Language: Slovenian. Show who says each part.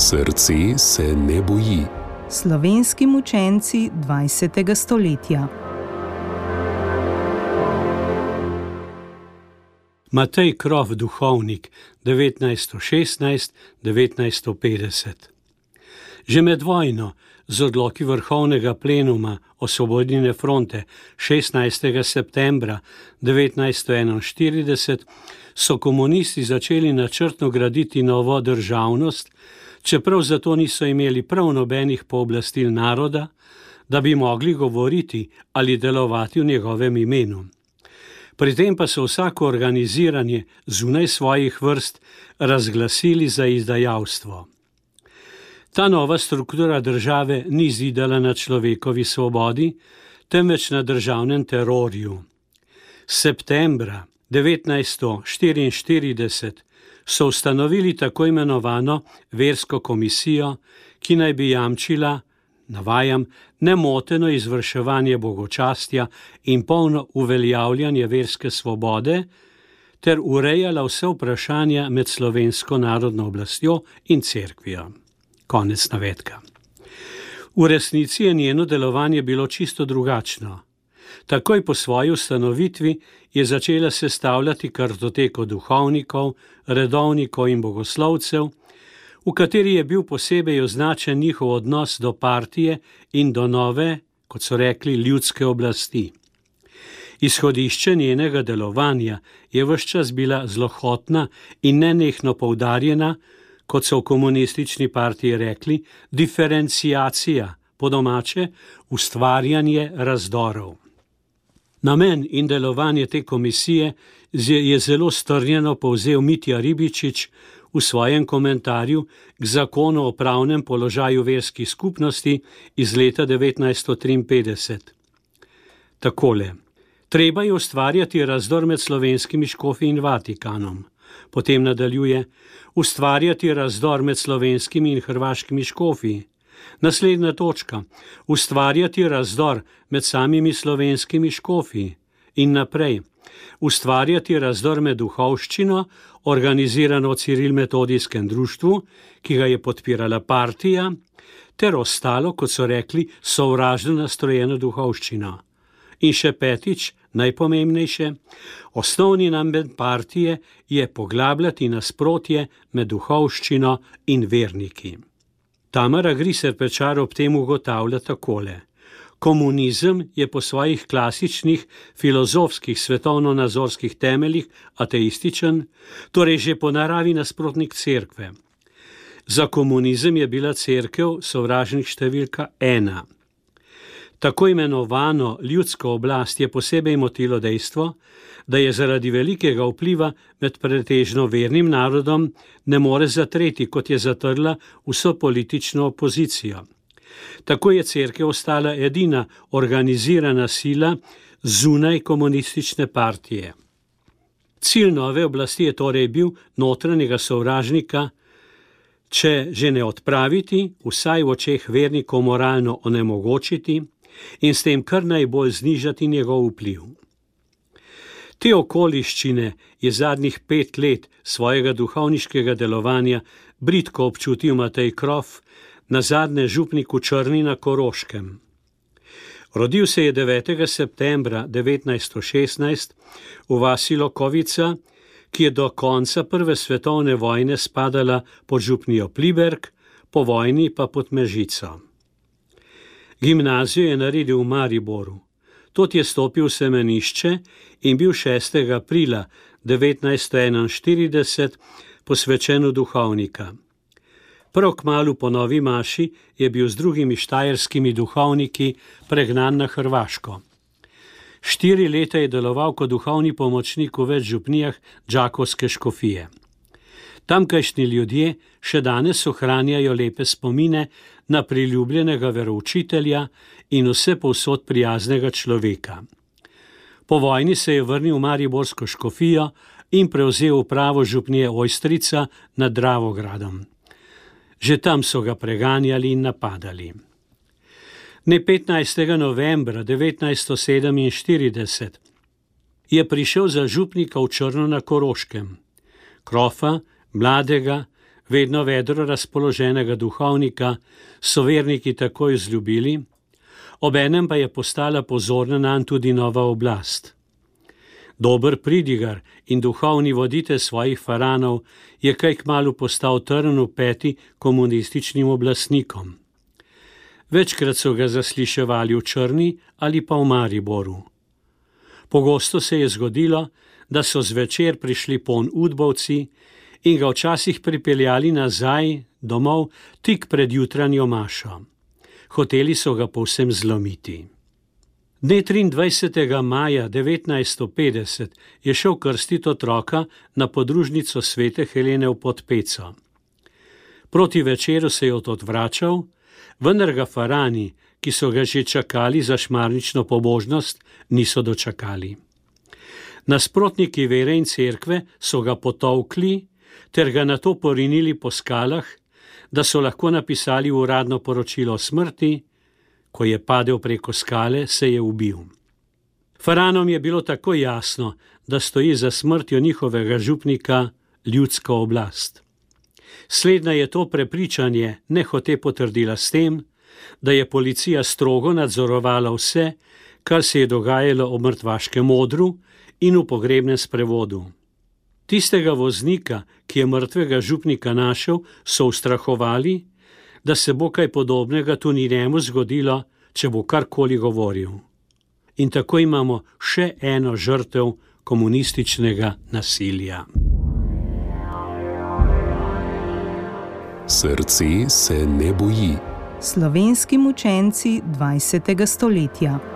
Speaker 1: Srce se ne boji.
Speaker 2: Slovenski mučenci 20. stoletja.
Speaker 3: Matej Krof, duhovnik, 1916–1950. Že med vojno z odloki Vrhovnega plenuma Osvobodilne fronte 16. septembra 1941 so komunisti začeli načrtno graditi novo državnost, čeprav zato niso imeli prav nobenih pooblastil naroda, da bi mogli govoriti ali delovati v njegovem imenu. Pri tem pa so vsako organiziranje zunaj svojih vrst razglasili za izdajalstvo. Ta nova struktura države ni zidala na človekovi svobodi, temveč na državnem terorju. Septembra 1944 so ustanovili tako imenovano versko komisijo, ki naj bi jamčila, navajam, nemoteno izvrševanje bogočastja in polno uveljavljanje verske svobode ter urejala vse vprašanja med slovensko narodno oblastjo in cerkvijo. Konec navedka. V resnici je njeno delovanje bilo čisto drugačno. Takoj po svoji ustanovitvi je začela sestavljati kartoteko duhovnikov, redovnikov in bogoslovcev, v kateri je bil posebej označen njihov odnos do partije in do nove, kot so rekli, ljudske oblasti. Izhodišče njenega delovanja je ves čas bila zlohotna in nenehno poudarjena, kot so v komunistični partiji rekli, diferenciacija, po domače ustvarjanje razdorov. Namen in delovanje te komisije je zelo strnjeno povzel Mitja Ribičič v svojem komentarju k zakonu o pravnem položaju verskih skupnosti iz leta 1953. Takole: treba je ustvarjati razdor med slovenskimi škofi in Vatikanom. Potem nadaljuje: ustvarjati razdor med slovenskimi in hrvaškimi škofi. Naslednja točka: ustvarjati razdor med samimi slovenskimi škofi. In naprej: ustvarjati razdor med duhovščino, organizirano v Ciril-metodijskem društvu, ki ga je podpirala partija, ter ostalo, kot so rekli, sovražno nastrojeno duhovščino. In še petič, najpomembnejše, osnovni namen partije je poglabljati nasprotje med duhovščino in verniki. Tamara Griser Pečar ob tem ugotavlja takole: komunizem je po svojih klasičnih filozofskih svetovno-nazorskih temeljih ateističen, torej že po naravi nasprotnik cerkve. Za komunizem je bila cerkev sovražnik številka 1. Tako imenovano ljudsko oblast je posebej motilo dejstvo, da je zaradi velikega vpliva med pretežno vernim narodom ne more zatreti, kot je zatrla vso politično opozicijo. Tako je cerkev ostala edina organizirana sila zunaj komunistične partije. Cilj nove oblasti je torej bil notranjega sovražnika, če že ne odpraviti, vsaj v očeh vernikov moralno onemogočiti in s tem kar najbolj znižati njegov vpliv. Te okoliščine je zadnjih 5 let svojega duhovniškega delovanja bridko občutil Matej Krof, nazadnje župnik v Črni na Koroškem. Rodil se je 9. septembra 1916 v vasi Lokovica, ki je do konca prve svetovne vojne spadala pod župnijo Pliberk, po vojni pa pod Mežico. Gimnazijo je naredil v Mariboru. Tod je stopil v semenišče in bil 6. aprila 1941 posvečen v duhovnika. Prav kmalu po novi maši je bil z drugimi štajerskimi duhovniki pregnan na Hrvaško. 4 leta je deloval kot duhovni pomočnik v več župnijah Đakovske škofije. Tamkajšnji ljudje še danes ohranjajo lepe spomine na priljubljenega veroučitelja in vse povsod prijaznega človeka. Po vojni se je vrnil v mariborsko škofijo in prevzel upravo župnije Ojstrica nad Dravogradom. Že tam so ga preganjali in napadali. Dne 15. novembra 1947 je prišel za župnika v Črno na Koroškem. Krofa, mladega, vedno vedro razpoloženega duhovnika, so verniki takoj vzljubili, obenem pa je postala pozorna nanj tudi nova oblast. Dober pridigar in duhovni voditelj svojih faranov je kaj kmalu postal trn v peti komunističnim oblastnikom. Večkrat so ga zasliševali v Črni ali pa v Mariboru. Pogosto se je zgodilo, da so zvečer prišli ponj udbovci in ga včasih pripeljali nazaj domov tik pred jutranjo mašo. Hoteli so ga povsem zlomiti. Dne 23. maja 1950 je šel krstiti otroka na podružnico svete Helene v Podpeco. Proti večeru se je odvračal, vendar ga farani, ki so ga že čakali za šmarnično pobožnost, niso dočakali. Nasprotniki vere in cerkve so ga potolkli ter ga nato porinili po skalah, da so lahko napisali uradno poročilo o smrti. Ko je padel preko skale, se je ubil. Faranom je bilo tako jasno, da stoji za smrtjo njihovega župnika ljudska oblast. Slednja je to prepričanje nehote potrdila s tem, da je policija strogo nadzorovala vse, kar se je dogajalo ob mrtvaškem odru in v pogrebnem sprevodu. Tistega voznika, ki je mrtvega župnika našel, so ustrahovali, da se bo kaj podobnega tudi njemu zgodilo, če bo karkoli govoril. In tako imamo še eno žrtev komunističnega nasilja.
Speaker 1: Srce se ne boji.
Speaker 2: Slovenski mučenci 20. stoletja.